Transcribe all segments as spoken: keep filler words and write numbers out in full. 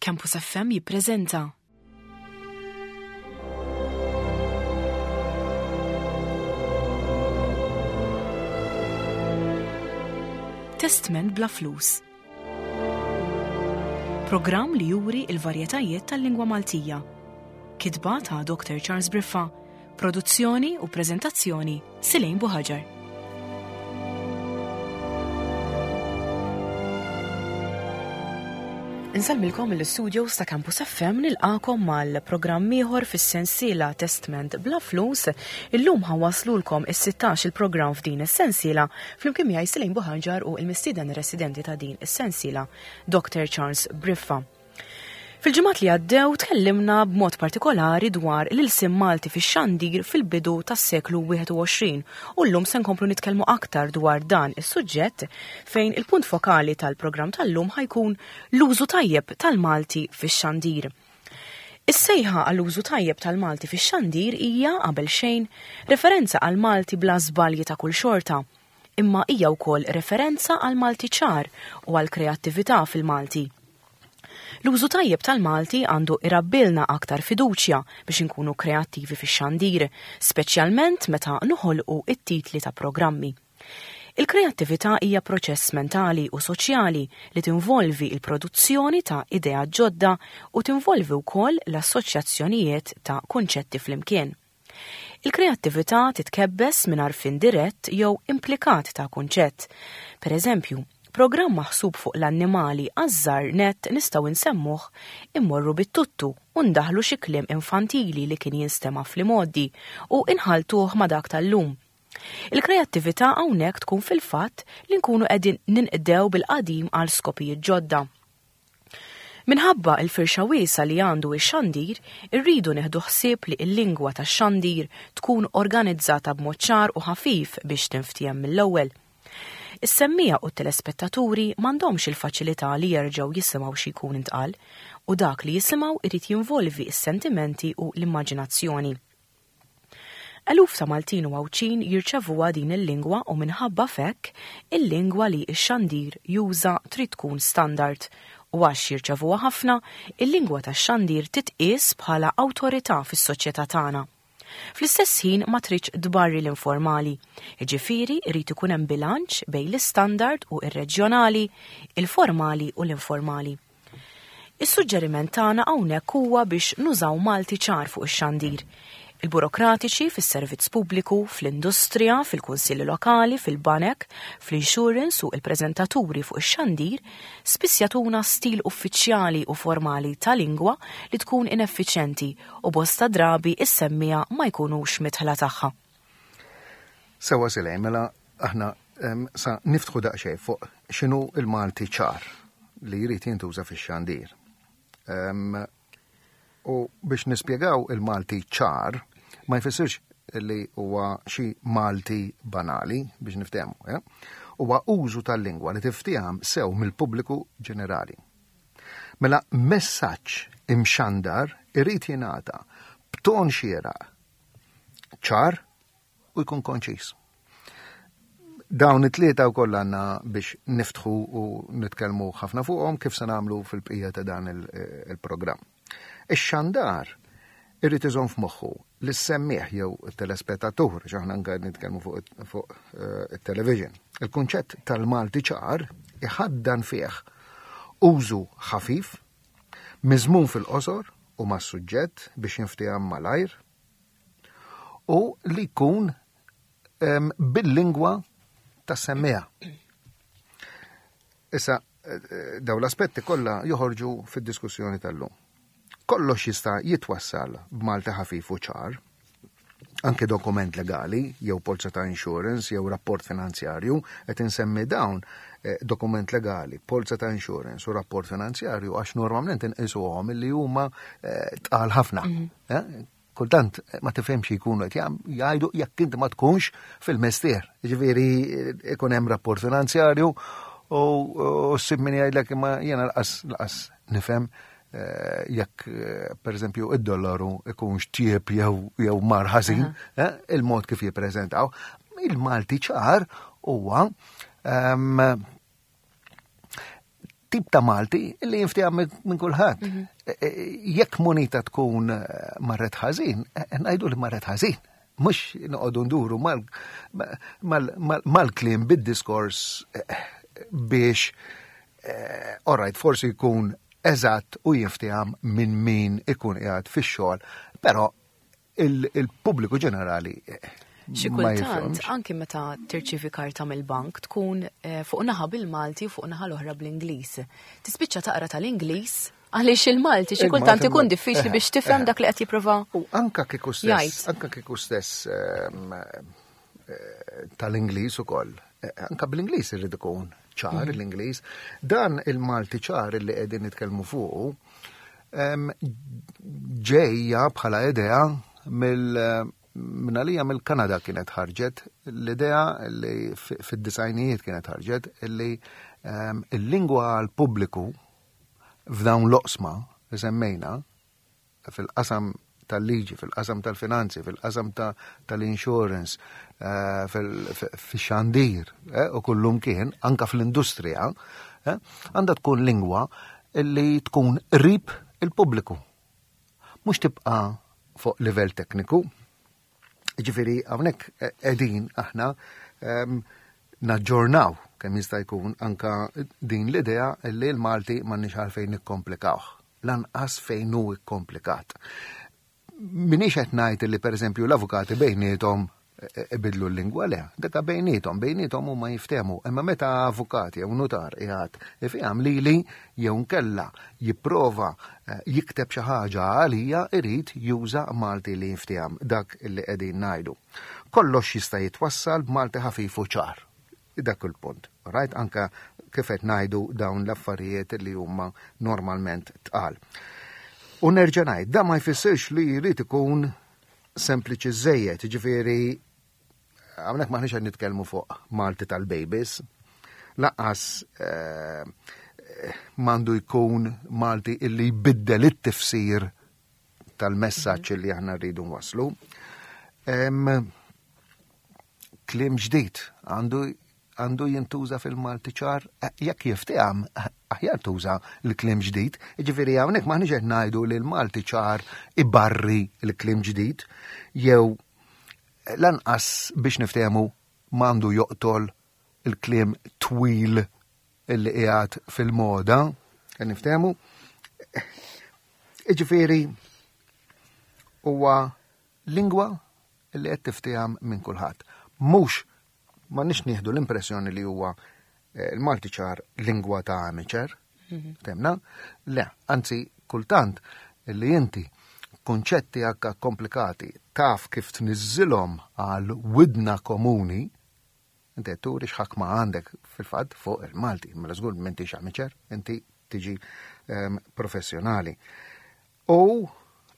Campus F M jippreżenta Testment bla flus. Programm li juri il-varjetajiet tal-lingwa Maltija. Kitba ta' Doctor Charles Briffa, produzzjoni u preżentazzjoni Silejn Buħaġar. Insellmilkom mill-studios ta' Campus F M, nilqakom mal-programm ieħor fis-sensiela Testment bla flus. Illum ħa nwasslulkom is-sittax il-programm f'din is-sensiela flimkien miegħi Silejn Buħaġar u l-mistieden residenti ta' din is-sensiela, Doctor Charles Briffa. Fil-ġimgħat li għaddew tkellimna b'mod partikolari dwar l-ilsien Malti fix-xandir fil-bidu tas-seklu wieħed u għoxrin u llum se nkomplu nitkellmu aktar dwar dan is-suġġett, fejn il-punt fokali tal-programm tal-lum ħa jkun l-użu tajjeb tal-Malti fix-xandir. Is-sejħa għall-użu tajjeb tal-Malti fix-xandir hija qabel xejn referenza għal Malti bla żbalji ta' kull xorta, imma hija wkoll referenza għal Malti ċar u għal kreattività fil-Malti. L-użu tajjeb tal-Malti għandu irabbilna aktar fiduċja biex inkunu kreattivi fix-xandir, speċjalment meta noħolqu it-titli ta' programmi. Il-kreattività hija proċess mentali u soċjali li tinvolvi il-produzzjoni ta' idea ġodda u tinvolvi wkoll l-assoċjazzjonijiet ta' kunċetti flimkien. Il-kreattività titkebbes minn għarfien dirett jew implikat ta' kunċett. Per eżempju, programm maħsub fuq l-annimali għaż-żgħar nett nistgħu nsemmuh Immorru bit-Tuttu u ndaħlu xi kliem infantili li kien jinstema' fl-imgħoddi u inħaltuh ma' dak tal-lum. Il-kreattività hawnhekk tkun fil-fatt li nkunu qegħdin ninqdew bil-qadim għal skopijiet ġodda. Minħabba il-firxa wiesa li għandu ix-xandir, irridu neħdu ħsieb li l-lingwa tax-xandir tkun organizzata b'mod ċar u ħafif biex tinftiehem mill-ewwel. Is-semmiegħa u t-telespettaturi m'għandhomx il-faċilità li jerġgħu jisimgħu xi jkun intqal, u dak li jisimgħu irid jinvolvi s-sentimenti u l-immaġinazzjoni. Eluf ta' Maltin u Għawdxin jirċevuha din il-lingwa u minħabba f'hekk il-lingwa li x-xandir juża trid tkun standard, u għax jirċevuha ħafna, il-lingwa tax-xandir titqies bħala awtorità fis-soċjetà tagħna. Fl-istess ħin ma tridx tbarri l-informali, jiġifieri jrid ikun hemm bilanċ bejn l-istandard u ir-reġjonali, il-formali u l-informali. Is-suġġeriment tagħna hawnhekk huwa biex nużaw Malti ċar fuq ix-xandir. Il-burokratiċi fis-servizz pubbliku, fl-industrija, fil-kunsilli lokali, fil-banek, fl-insurance u il-preżentaturi fuq ix-xandir spiss jagħtuna stil uffiċjali u formali ta' lingwa li tkun ineffiċjenti u bosta drabi is-semmiegħa ma jkunux midħla tagħha. Sewwa Silej, mela aħna em, sa niftħu daqsxejn fuq x'inhu il-Malti ċar li jrid jintuża fix-xandir. Em, U biex nispjegaw il-Malti ċar, ma jfissirx li huwa xi Malti banali biex niftehmu, eh? Huwa użu tal-lingwa li tiftiehem sew mill-pubbliku ġenerali. Mela messaġġ imxandar irid jingħata b'ton xieraq, ċar u jkun konċis. Dawn it-tlieta wkoll għandna biex niftħu u nitkellmu ħafna fuqhom, kif se nagħmlu fil-bqija ta' dan il- il-programm. Ix-xandar irrid iżomm f'moħħu li s-semmiegħ jew it-telespettatur, għax aħna anke nitkellmu fuq fuq eh, it-television. Il-kunċett tal-Malti ċar iħaddan fih użu ħafif, miżmum fil-qosor u mas-suġġett biex jinftiehem malajr u li jkun em, bil-lingwa tas-semmiegħa. Issa, eh, daw l-aspetti kollha joħorġu fid-diskussjoni tal-lum. Kollox jista' jitwassal b'Malti ħafif u ċar, anke dokument legali, jew polza ta' insurance, jew rapport finanzjarju, qed insemmi dawn eh, dokument legali, polza ta' insurance u rapport finanzjarju għax normalment inqisuhom li huma eh, tqal ħafna. Eh? Kultant eh, ma tifhemx jkunu qed jam- jgħidu jekk inti ma tkunx fil-mestier. Ġifieri eh, ikun hemm rapport finanzjarju u u ssib min jgħidlek imma jiena lanqas lanqas nifhem eh, jekk eh, per eżempju id-dollaru ikunx tjieb jew jew mar ħażin, eh, il-mod kif jippreżentaw. Il-Malti ċar huwa ehm, tip ta' Malti li jinftiehem minn kulħadd. Mhm. E, e, jekk monita tkun eh, marret ħażin, eh, ngħidu li marret ħażin. Mhux noqogħdu nduru mal-kliem bid-diskors eh, biex alright, forsi jkun eżatt u jinftiehem minn min ikun qiegħed fix-xogħol, però il-pubbliku ġenerali Xi kultant, anki meta tirċivi karta mill-bank tkun eh, fuq naħa bil-Malti u fuq naħa l-oħra bl-Ingliż. Tispiċċa taqra tal-Ingliż għaliex il-Malti xi kultant ikun diffiċli biex tifhem dak li qed jipprova. U anka kieku stess, anka kieku stess ehm, eh, tal-Ingliż ukoll. Eh, anka bl-Ingliż irid ikun ċar mm. l-Ingliż. Dan il-Malti ċar li qegħdin nitkellmu fuqu ehm, ġejja bħala idea mill minn għalija mill-Kanada kienet ħarġet l-idea li fid-disgħinijiet kienet ħarġet li ehm, il-lingwa għal pubbliku f'dawn l-oqsma li semmejna fil-qasam tal-liġi, fil-qasam tal-finanzi, fil-qasam tal-insurance, eh, fil-xandir eh, u kullum kien, anka fl-industrija, eh, għandha tkun lingwa li tkun qrib il-pubbliku. Mhux tibqa' fuq livell tekniku. Ġifieri, hawnhekk qegħdin aħna ehm, naġġornaw kemm jista' jkun anka din l-idea li l-Malti m'għandniex għalfejn nikkomplikawh. Lanqas fejn hu kkomplikat. Minix qed ngħid li, pereżempju, l-avukati bejniethom ibidlu l-lingwa, le, deka bejniethom, bejniethom huma jiftehmu, imma meta avukat jew nutar qiegħed ifhem lili jew nkella jipprova eh, jikteb xi ħaġa għalija, irid juża Malti li jiftiehem, dak li qegħdin ngħidu. Kollox jista' jitwassal b'Malti ħafif u ċar. Dak il-punt. Right? Anka kif qed ngħidu dawn l-affarijiet li huma normalment tqal. U nerġa' ngħid, da ma jfissirx li jrid ikun sempliċi żejjed, ġifieri hawnhekk m'aħniex qed nitkellmu fuq Malti tal-babies, lanqas eh, m'għandu jkun Malti illi jbiddel it-tifsir tal-messaġġ li aħna rridu nwasslu. Kliem ġdid għandu għandu jintuża fil-Malti ċar, eh, jekk jiftiehem, aħjar tuża l-kliem ġdid. Ġifieri hawnhekk m'aħniex qed ngħidu li l-Malti ċar ibarri l-kliem ġdid, jew lanqas biex niftehmu m'għandu joqtol il-kliem twil illi qiegħed fil-moda, qed niftehmu. Ġifieri huwa lingwa li qed tiftiehem minn kulħadd. Mhux m'għandniex nieħdu l-impressjoni li huwa eh, il-Malti ċar lingwa ta' amateur, mhm. temna? Le, anzi, kultant li inti konċetti akka komplikati taf kif tniżżilhom għal widna komuni, inti turi x'ħakma għandek fil-fatt fuq il-Malti, mela żgur m'intix amateur, inti tiġi um, professjonali. U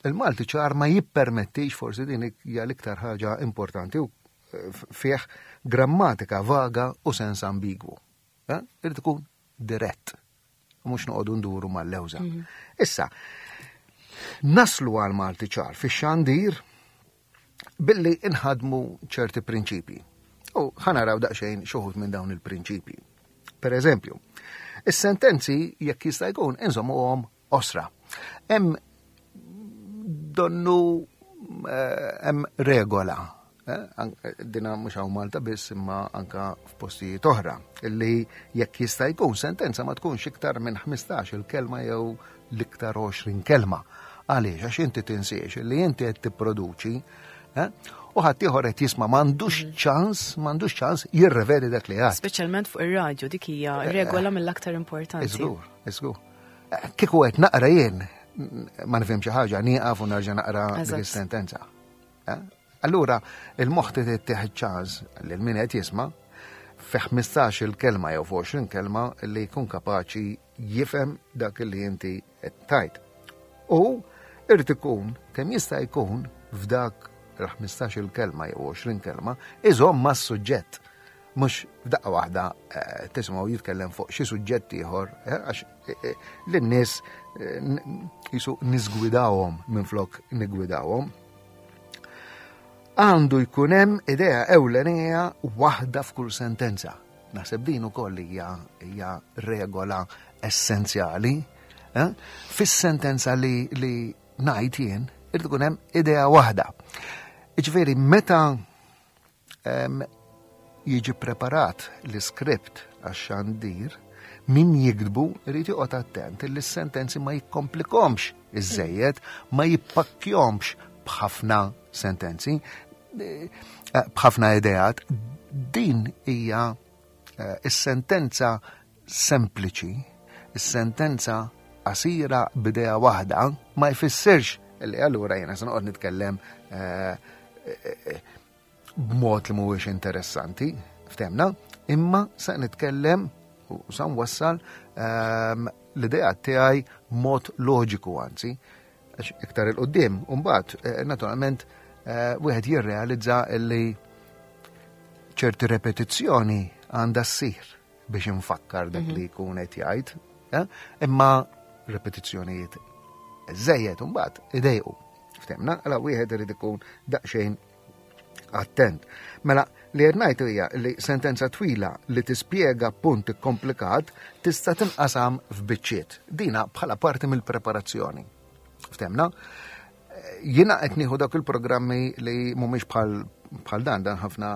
il-Malti ċar ma jippermettix, forsi din hija l-iktar ħaġa importanti, u eh, fih grammatika vaga u sens ambigwu. Eh? Irid ikun dirett, mhux noqogħdu nduru mal-lewża. Mhm. Issa, naslu għal Malti ċar fix-xandir billi inħadmu ċerti prinċipji. U ħa naraw daqsxejn xi wħud minn dawn il-prinċipji. Per eżempju, is-sentenzi jekk jista' jkun inżommuhom qosra. Hemm donnu eh, hemm regola eh, dina mhux hawn Malta biss imma anka f'postijiet oħra, illi jekk jista' jkun sentenza ma tkunx iktar minn ħmistax il-kelma jew l-iktar għoxrin kelma. Għaliex? Għax inti tinsiex li inti qed tipproduċi eh, u ħadd ieħor qed jisma' m'għandux mhm. ċans, m'għandux ċans jirrevedi dak li għad. Speċjalment fuq ir-radju, dik hija eh, regola mill-aktar importanti. Iżgur, iżgur. Eh, kieku qed naqra jien ma nifhem xi ħaġa, nieqaf u nerġa' naqra dik is-sentenza. Allura il-moħħ tieħ ċans lil min qed jisma' fi ħmistax il-kelma jew għoxrin kelma li jkun kapaċi jifhem dak li inti qed tgħid. U irid ikun kemm jista' jkun f'dak il-ħmistax il-kelma jew għoxrin kelma iżomm mas-suġġett. Mhux f'daqqa waħda eh, tisimgħu jitkellem fuq xi suġġett ieħor eh, għax eh, lin-nies jisu niżgwidawhom minflok nigwidawhom. Għandu jkun hemm idea ewlenija waħda f'kull sentenza. Naħseb din ukoll hija hija regola essenzjali. Eh? Fis-sentenza li, li ngħid jien, irid ikun hemm idea waħda. Jiġifieri meta em, jiġi preparat l-iskript għax-xandir, min jiktbu irid joqgħod attent li s-sentenzi ma jikkomplikomx iżejjed, ma jippakkjomx b'ħafna sentenzi, eh, b'ħafna ideat. Din hija eh, is-sentenza sempliċi, is-sentenza qasira b'idea waħda, ma jfissirx li allura jiena se noqgħod nitkellem eh, eh, b'mod li mhuwiex interessanti, ftemna, imma se nitkellem u sa nwassal ehm, l-idea tiegħi mod loġiku anzi, għax iktar 'il quddiem, u mbagħad eh, naturalment eh, wieħed jirrealizza li ċerti repetizzjoni għandha ssir biex infakkar dak li jkun qed jgħid, eh? Imma repetizzjonijiet żejjed imbagħad idejqu. Ftemna, għala wieħed irid ikun daqsxejn attent. Mela, li qed ngħid hija li sentenza twila li tispjega punt komplikat tista' tinqasam f'biċċiet. Dina bħala parti mill-preparazzjoni. Ftemna? Jiena qed nieħu dak il-programmi li mhumiex bħal bħal dan, dan ħafna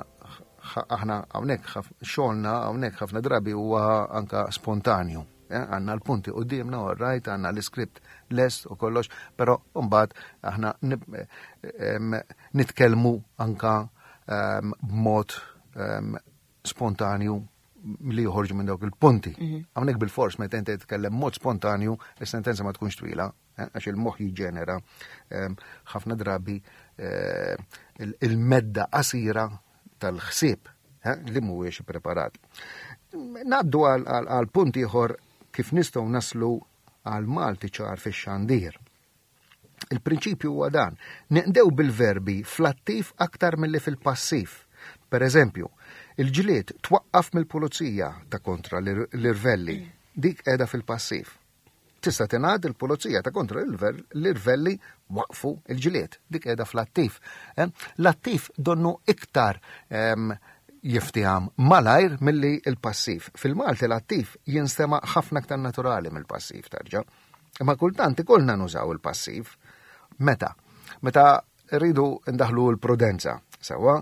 aħna hawnhekk xogħolna hawnhekk ħafna drabi huwa anka spontanju. Eh, għandna l-punti quddiemna, all right, għandna l-iskript lest u kollox, però mbagħad aħna nitkellmu anka b'mod spontanju li joħorġu minn dawk il-punti. Mhm. Hawnhekk bil-fors meta inti titkellem mod spontanju, is-sentenza ma tkunx twila, eh, għax il-moħħ jiġġenera ħafna drabi eh, il-medda qasira tal-ħsieb eh, li mhuwiex preparat. Ngħaddu għal punt ieħor kif nistgħu naslu għal Malti ċar fix-xandir. Il-prinċipju huwa dan, ninqdew bil-verbi fl-attiv aktar milli fil-passiv. Per eżempju, il-ġlied twaqqaf mill-pulizija ta' kontra l-irvelli, dik qiegħda fil-passiv. Tista' tingħad il-pulizija ta' kontra l-irvelli waqfu il-ġlied, dik qiegħda fl-attiv. Eh, l-attiv donnu iktar jiftiham malajr milli il-passiv. Fil-Malti l-attiv jinstema ħafna aktar naturali mill-passiv tarġa. Imma kultant ikollna nużaw il-passiv. Meta? Meta rridu ndaħlu l-prudenza. Sewwa,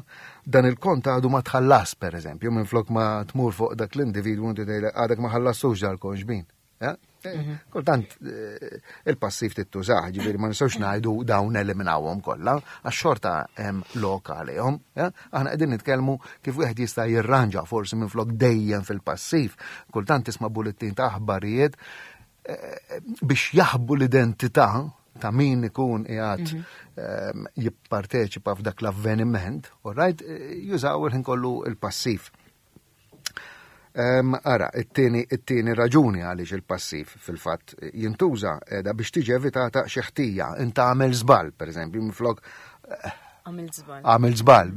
dan il-kont għadu ma tħallas, per eżempju, minn flok ma tmur fuq dak l-individwu inti tgħidle għadek ma ħallastux dal-kont xbin. Eh? Mhm. Kultant eh, il-passiv tittużah, ġifieri ma nistgħux ngħidu dawn eliminawhom kollha, għax xorta hemm lok għalihom. Eh? Aħna qegħdin nitkellmu kif wieħed jista' jirranġa forsi minn flok dejjem fil-passiv. Kultant tisma' bullettin ta' aħbarijiet biex jaħbu l-identità ta' min ikun qiegħed mhm. ehm, jipparteċipa f'dak l-avveniment, all right, jużaw il-ħin kollu il-passiv. Ara, it-tieni it-tieni raġuni għaliex il-passiv fil-fatt jintuża qiegħda biex tiġi evitata xi ħtija. Inta għamel żball, pereżempju, minflok Għamil żball. Għamil żball.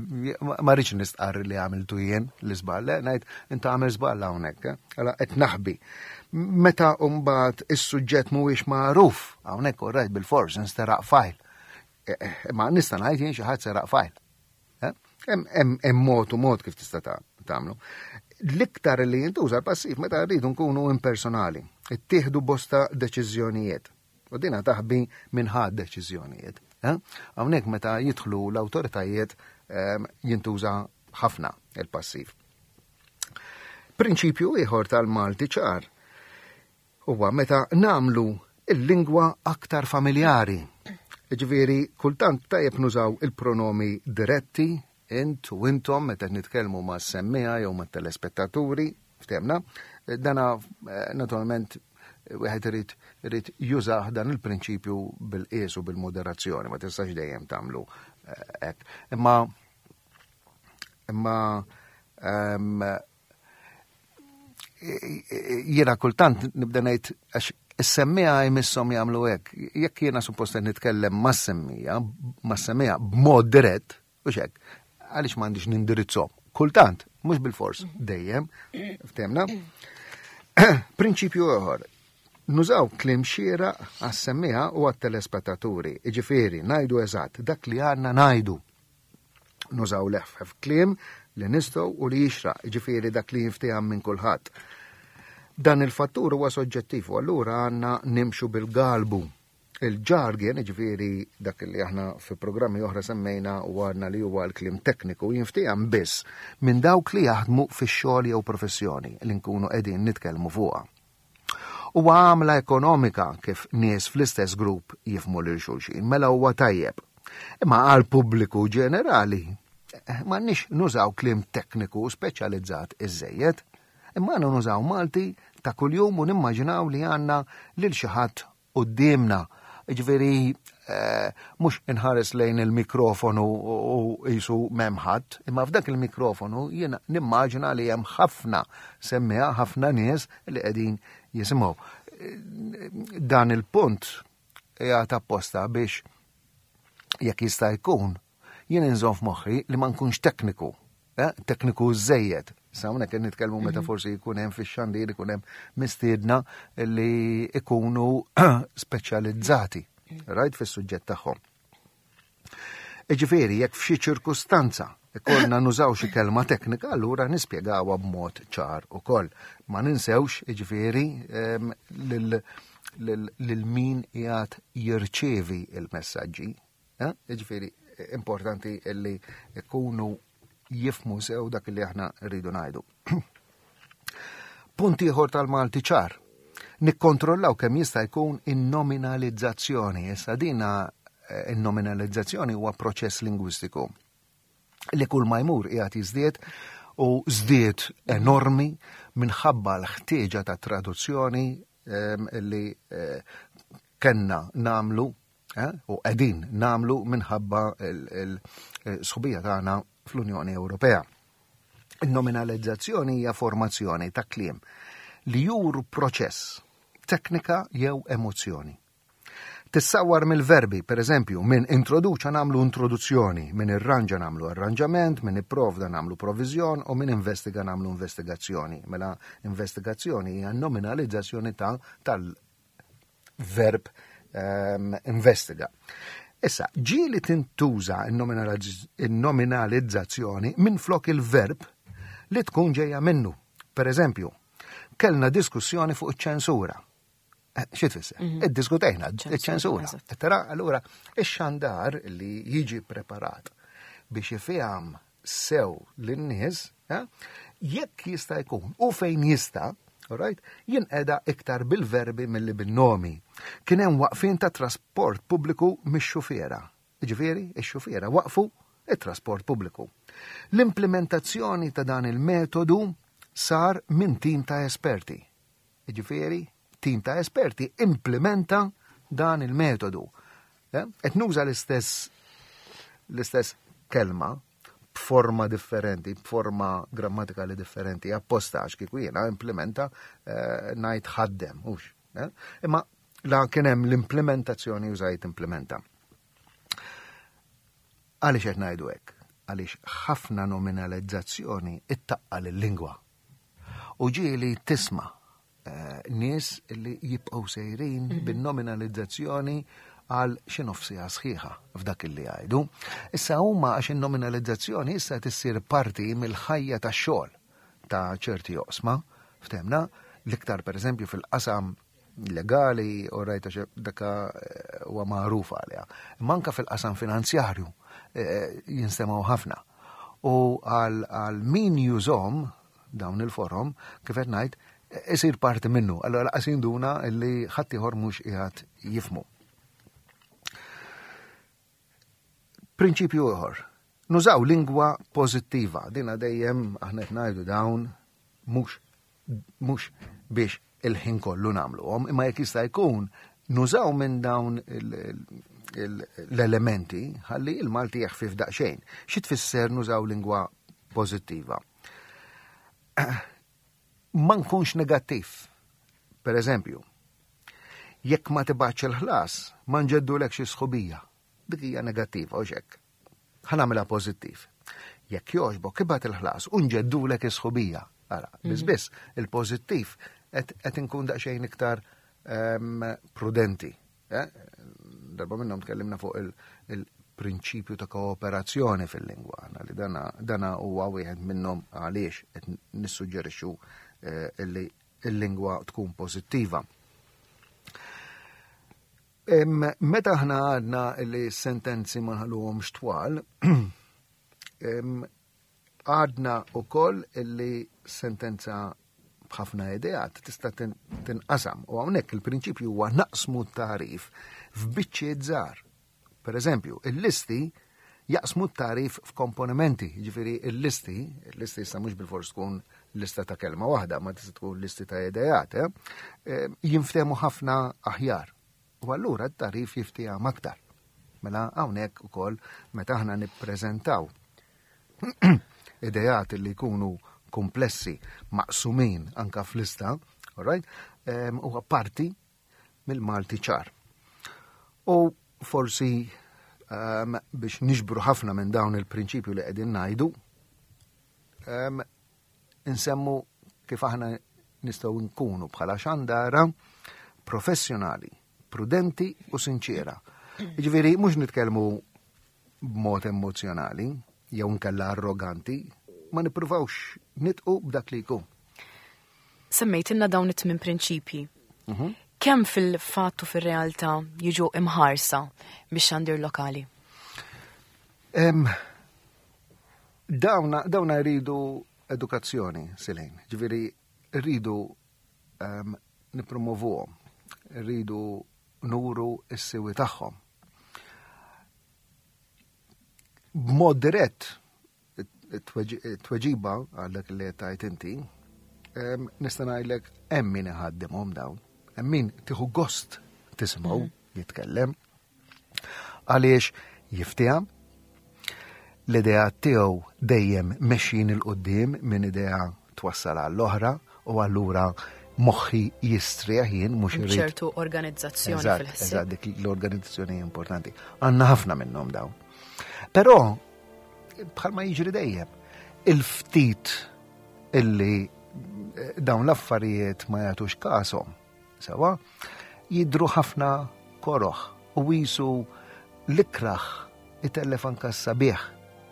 Ma rridx nistqarr li għamiltu jien l-iżball, le, ngħid inta għamil żball hawnhekk, eh? Għala qed naħbi. Meta mbagħad is-suġġett mhuwiex magħruf, hawnhekk all right bil-fors nsteraq file. Eh, eh, Ma nista' ngħid jien xi ħadd seraq file. Eh? Hemm hemm mod u mod kif tista' tagħmlu. L-iktar li jintuża l-passiv meta rridu nkunu impersonali, ittieħdu bosta deċiżjonijiet. U dina taħbi minn ħadd deċiżjonijiet. eh? Hawnhekk meta jidħlu l-awtoritajiet ehm, jintuża ħafna il-passiv. Prinċipju ieħor tal-Malti ċar huwa meta namlu il-lingwa aktar familjari. Ġifieri, kultant tajjeb nużaw il-pronomi diretti, int u intom, meta nitkellmu ma' semmiegħa jew ma' telespettaturi, ftemna, dana eh, naturalment wieħed irid irid jużah dan il-prinċipju bil-qies u bil-moderazzjoni, ma tistax dejjem tagħmlu eh, hekk. Imma imma ehm, jiena kultant nibda ngħid għax is-semmiegħa jmisshom jagħmlu hekk. Jekk jiena suppost qed nitkellem mas-semmiegħa, mas-semmiegħa b'mod dirett, u hekk, għaliex m'għandix nindirizzhom. Kultant, mhux bil-fors, dejjem, ftemna. Prinċipju ieħor, nużaw kliem xieraq għas-semmiegħa u għat-telespettaturi. Iġifieri, ngħidu eżatt dak li għandna ngħidu. Nużaw l-eħfef kliem li nistgħu u li jixraq, ġifieri dak li jinfteham minn kulħadd. Dan il-fattur huwa soġġettiv u allura għandna nimxu bil-galbu. Il-jargon, ġifieri dak li aħna fi programmi oħra semmejna u għadna li huwa l-kliem tekniku, jinftiehem biss minn dawk li jaħdmu fix-xogħol jew professjoni li nkunu qegħdin nitkellmu fuqha. Huwa għamla ekonomika kif nies fl-istess grupp jifhmu lil xulxin, mela huwa tajjeb. Imma għal pubbliku ġenerali, eh, m'għandniex nużaw kliem tekniku speċjalizzat iżejjed, imma għandna nużaw Malti ta' kuljum u nimmaġinaw li għandna lil xi ħadd quddiemna. Ġifieri, eh, mhux inħares lejn il-mikrofonu u qisu m'hemm ħadd, imma f'dak il-mikrofonu jiena nimmaġina li hemm ħafna semmiegħa, ħafna nies li qegħdin jisimgħu. Dan il-punt qiegħed apposta biex jekk jista' jkun jien inżomm f'moħħi li ma nkunx tekniku, eh, tekniku żejjed. Sa hawnhekk qed nitkellmu meta forsi jkun hemm fix-xandir ikun hemm mistiedna li ikunu speċjalizzati, right, fis-suġġett tagħhom. Iġifieri, jekk f'xi ċirkustanza ikollna nużaw xi kelma teknika, allura nispjegawha b'mod ċar ukoll. Ma ninsewx, iġifieri, em, lil lil min qiegħed jirċievi il-messaġġi. Eh? Iġifieri, importanti illi ikunu jifhmu sew dak li aħna rridu ngħidu. Punt ieħor tal-Malti ċar. Nikkontrollaw kemm jista' jkun in-nominalizzazzjoni. Issa dina eh, in-nominalizzazzjoni huwa proċess lingwistiku li kull ma jmur qiegħed jiżdied u żdied enormi minħabba l-ħtieġa ta' traduzzjoni em, li eh, kellna nagħmlu eh, u qegħdin nagħmlu minħabba il-sħubija tagħna fl-Unjoni Ewropea. Il-nominalizzazzjoni hija formazzjoni ta' kliem li juru proċess, teknika jew emozzjoni. Tissawar mill-verbi, per eżempju, minn introduċa nagħmlu introduzzjoni, minn irranġa nagħmlu arranġament, minn ipprovda nagħmlu provviżjon u minn investiga nagħmlu investigazzjoni. Mela investigazzjoni hija nominalizzazzjoni ta' tal-verb um, investiga. Issa, ġieli tintuża il-nominalizzazzjoni minn flok il-verb li tkun ġejja minnu. Per eżempju, kellna diskussjoni fuq iċ-ċensura. Eh, xi tfisser? Mhm. Iddiskutejna iċ-ċensura. Tara, allura, ix-xandar li jiġi preparat biex jifhem sew lin-nies, eh, jekk jista' jkun u fejn jista', right, jinqeda iktar bil-verbi milli bin-nomi. Kien hemm waqfien ta' trasport pubbliku mix-xufiera. Ġifieri, ix-xufiera waqfu it-trasport pubbliku. L-implementazzjoni ta' dan il-metodu sar minn tim ta' esperti. Ġifieri, tim ta' esperti implementa dan il-metodu. Eh? Et nuża l-istess l-istess kelma b'forma differenti, b'forma grammatikali differenti, apposta għax kieku jiena implementa eh, ngħid ħaddem, hux. Eh? Imma la kien hemm l-implementazzjoni użajt implementa. Għaliex qed ngħidu hekk? Għaliex ħafna nominalizzazzjoni ittaqqal il-lingwa. U ġieli tisma' eh, nies li jibqgħu sejrin mhm. bin-nominalizzazzjoni għal xi nofsija sħiħa f'dak li jgħidu. Issa huma għax in-nominalizzazzjoni issa tissir parti mill-ħajja tax-xogħol ta' ċerti oqsma, ftehmna, l-iktar pereżempju fil-qasam legali u rajta daka eh, huwa magħruf għaliha. Manka fil-qasam finanzjarju eh, jinstemgħu ħafna. U għal min jużahom dawn il-forom, kif qed ngħid, isir parti minnu. Allora laqas jinduna li ħadd ieħor mhux qiegħed jifhmu. Prinċipju ieħor. Nużaw lingwa pożittiva. Dina dejjem aħna qed ngħidu dawn mhux mhux biex il-ħin kollu nagħmluhom, imma jekk jista' jkun nużaw minn dawn l-elementi ħalli il-Malti jeħfif daqsxejn. Xi tfisser nużaw lingwa pożittiva? Ma nkunx negattiv. Per eżempju, jekk ma tibgħatx il-ħlas, ma nġeddulekx is-sħubija. Dik hija negattiva u xek. Ħa nagħmilha pożittiv. Jekk jogħġbok ibgħat il-ħlas u nġeddulek is-sħubija. Ara, biss mhm. biss il-pożittiv qed inkun daqsxejn iktar ehm, prudenti. Eh? Darba minnhom tkellimna fuq il-prinċipju ta' kooperazzjoni fil-lingwa, li dana huwa wieħed minnhom għaliex qed nissuġġerixxu eh, li il-lingwa tkun pożittiva. Meta aħna għadna li sentenzi ma nħalluhomx twal, għadna wkoll li sentenza b'ħafna ideat tista' tinqasam u hawnhekk il-prinċipju huwa naqsmu t-tagħrif f'biċċiet żgħar. Per eżempju, il-listi jaqsmu t-tagħrif f'komponimenti, jiġifieri il-listi, il-listi issa mhux bilfors tkun lista ta' kelma waħda, ma tista' tkun listi ta' ideat, eh? eh jinftehmu ħafna aħjar. U allura t-tagħrif jiftiehem aktar. Mela hawnhekk ukoll meta aħna nippreżentaw ideat li jkunu komplessi maqsumin anka f'lista, all right, huwa parti mill-Malti ċar. U forsi um, biex niġbru ħafna minn dawn il-prinċipju li qegħdin ngħidu, um, insemmu kif aħna nistgħu nkunu bħala xandara professjonali, prudenti u sinċiera. Jiġifieri mhux nitkellmu b'mod emozjonali jew nkella arroganti, ma nippruvawx nidħqu b'dak li jkun. Semmejtilna dawn it-tmien prinċipji. Mhm. Kemm fil-fatt u fil-realtà jiġu imħarsa biex xandir lokali? Em, dawna, dawna jridu edukazzjoni, Silejn. Ġifieri, rridu um, nippromovuhom, rridu nuru s-siwi tagħhom. B'mod dirett, it-tweġiba għal dak li tajt inti, nista' ngħidlek hemm min iħaddimhom dawn, hemm min tieħu gost tisimgħu mhm. jitkellem. Għaliex jiftiehem l-idea tiegħu dejjem mexjin 'il quddiem minn idea twassal għall-oħra u allura moħħi jistrieħ jien mhux irid. ċertu organizzazzjoni fil-ħsieb. Eżatt, dik l-organizzazzjoni importanti. Għandna ħafna minnhom dawn. Però bħalma jiġri dejjem, il-ftit illi eh, dawn l-affarijiet ma jagħtux kasom, sewa, jidru ħafna koroħ u jisu l-ikraħ itellef anka s-sabiħ.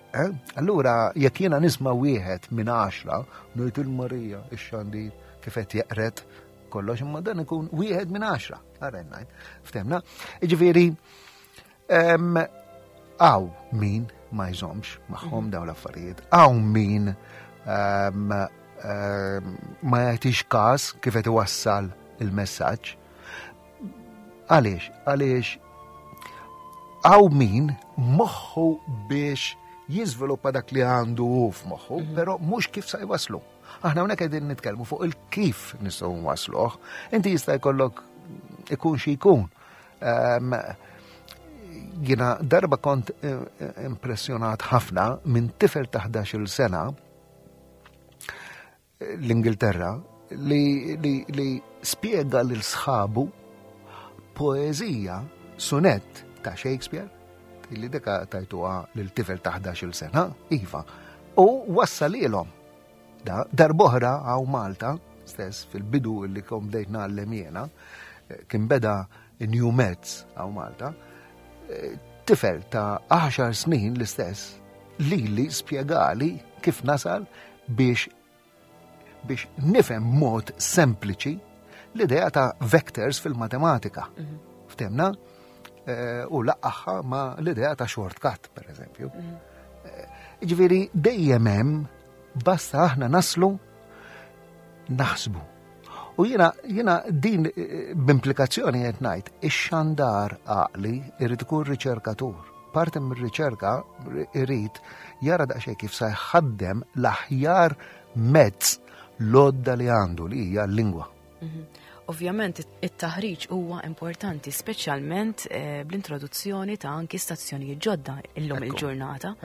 Eh? Allura, jekk jiena nisma' wieħed minn għaxra, ngħid il-Marija, ix-xandir, kif qed jeqret kollox, imma dan ikun wieħed minn għaxra. Ara ngħid. Ftemna? Jiġifieri, hawn min ma jżomx magħhom mhm. dawn l-affarijiet, hawn min ma jagħtix każ kif qed iwassal il-messaġġ. Għaliex? Għaliex hawn min moħħu biex jiżviluppa dak li għandu hu f'moħħu, mhm. però mhux kif sa jwaslu. Aħna hawnhekk qegħdin nitkellmu fuq il-kif nistgħu nwasluh. Inti jista' jkollok ikun xi jkun. Um, jiena darba kont eh, eh, impressjonat ħafna minn tifel ta' ħdax-il sena l-Ingilterra li, li, li spiega lil sħabu poezija sonett ta' Shakespeare li deka tajtuha lil tifel ta' ħdax-il sena, iva, u wassalilhom. Da, darb'oħra hawn Malta, stess fil-bidu li kom bdejt ngħallem jiena, eh, kien beda New Meds hawn Malta, eh, tifel ta' għaxar snin l-istess li li spjegali kif nasal biex biex nifhem mod sempliċi l-idea ta' vectors fil-matematika. Mhm. Ftemna? Eh, u laqqaħħa ma l-idea ta' shortcut, per eżempju. Mhm. Eh, ġifieri dejjem hemm basta aħna naslu naħsbu. U jiena jiena din eh, b'implikazzjoni qed ngħid, ix-xandar għaqli irid ikun riċerkatur. Parti mir-riċerka irid jara daqsxejn kif sa jħaddem l-aħjar mezz l-għodda li għandu li hija l-lingwa. Mhm. Ovvjament it-taħriġ huwa importanti, speċjalment eh, bl-introduzzjoni ta' anki stazzjonijiet ġodda illum il-ġurnata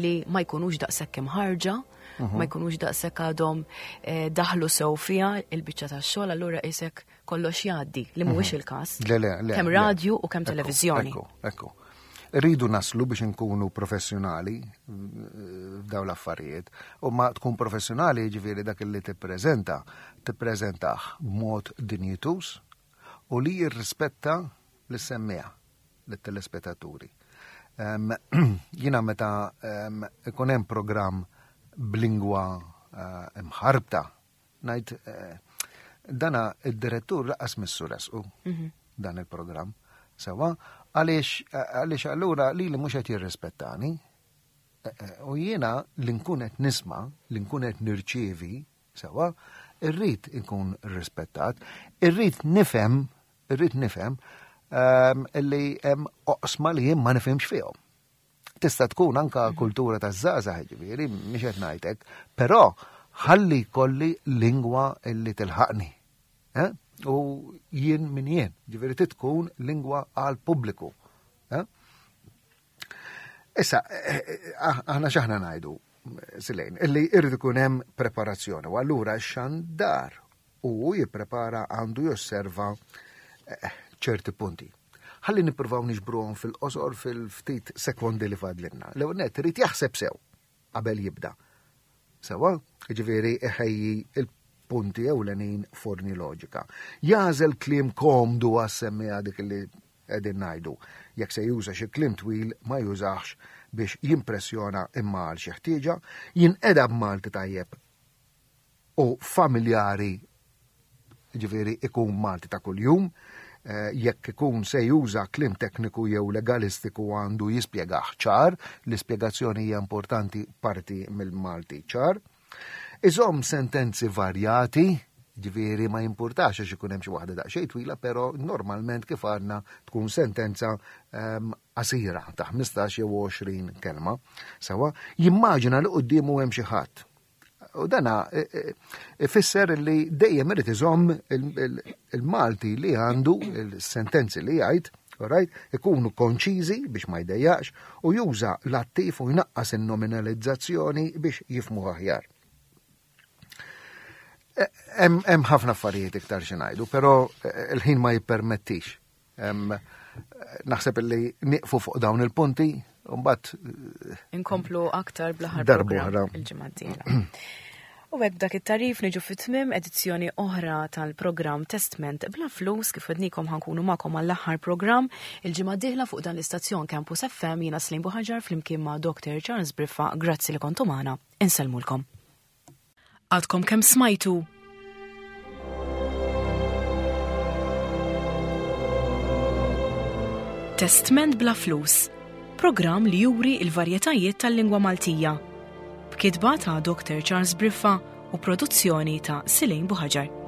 li ma jkunux daqshekk imħarġa, mhm. ma jkunux daqshekk għadhom eh, daħlu sew fiha il-biċċa tax-xogħol, allura isek kollox jgħaddi li mhuwiex mhm. il-każ. Le, le, le. Kemm radju u kemm televiżjoni. Ekku, ekku. Rridu naslu biex nkunu professjonali eh, f'dawn l-affarijiet. U ma tkun professjonali ġifieri dak li tippreżenta, tippreżentah b'mod dinjitus u li jirrispetta lis-semmiegħa, lit-telespettaturi. Jiena meta ikun hemm programm b'lingwa eh, imħarbta, ngħid eh, Dana id-direttur lanqas missu ressqu dan il-programm. Sewwa, għaliex għaliex allura li li mhux qed jirrispettani. Eh, eh, U jiena li nkun qed nisma', li nkun qed nirċievi, sewwa, irrid inkun rispettat, irrid nifhem, irrid nifhem ehm, illi hemm oqsma li jien ma nifhimx fihom. Tista' tkun anka kultura ta' żgħażagħ ġifieri, mhix qed ngħidlek, però ħalli kolli lingwa illi tilħaqni. Eh? U jien min jien, ġifieri tkun lingwa għal pubbliku. Eh? Issa, eh, eh, aħna x'aħna ngħidu, Silejn, illi irrid ikun hemm preparazzjoni, u allura x-xandar u jipprepara għandu josserva eh, ċerti punti. Ħalli nippruvaw niġbruhom fil-qosor fil-ftit sekondi li fadlinna. L-ewwel nett irid jaħseb sew qabel jibda. Sewwa, ġifieri iħejji il-punti ewlenin f'ordni loġika. Jagħżel kliem komdu għas-semmiegħa dik li qegħdin ngħidu. Jekk se juża xi kliem twil ma jużax biex jimpressjona imma għal xi ħtieġa, jinqeda b'Malti tajjeb u familjari ġifieri ikun Malti ta' kuljum, eh, jekk ikun se juża kliem tekniku jew legalistiku għandu jispjegah ċar, l-ispjegazzjoni hija importanti parti mill-Malti ċar. Iżomm sentenzi varjati, ġifieri ma jimpurtax għax ikun hemm xi waħda daqsxejn twila, però normalment kif għandna tkun sentenza ehm, qasira ta' ħmistax jew għoxrin kelma. Sewwa, jimmaġina li quddiemu hemm xi ħadd. U dana e, e, ifisser li dejjem irid iżomm il-Malti li għandu il-sentenzi li jgħid, right, ikunu konċiżi biex ma jdejjaqx u juża l-attiv u jnaqqas in-nominalizzazzjoni biex jifhmu aħjar. Hemm ħafna affarijiet iktar xi ngħidu, però il-ħin ma jippermettix. Naħseb li nieqfu fuq dawn il-punti, mbagħad inkomplu aktar bl-aħħar darb'oħra. Il-ġimgħa d-dieħla. U hekk dak it-tarif niġu fit-tmim edizzjoni oħra tal-programm Testment Bla Flus. Kif għednikom, ħa nkunu magħkom għall-aħħar programm il-ġimgħa d-dieħla fuq dan l-istazzjon Campus F M. Jiena Slim Buħaġar flimkien ma' Doktor Charles Briffa. Grazzi li kontu magħna. Insellmulkom. Għadkom kemm smajtu Testment Bla Flus, programm li juri il-varjetajiet tal-lingwa Maltija. B'kitba ta' Doktor Charles Briffa u produzzjoni ta' Silejn Buħaġar.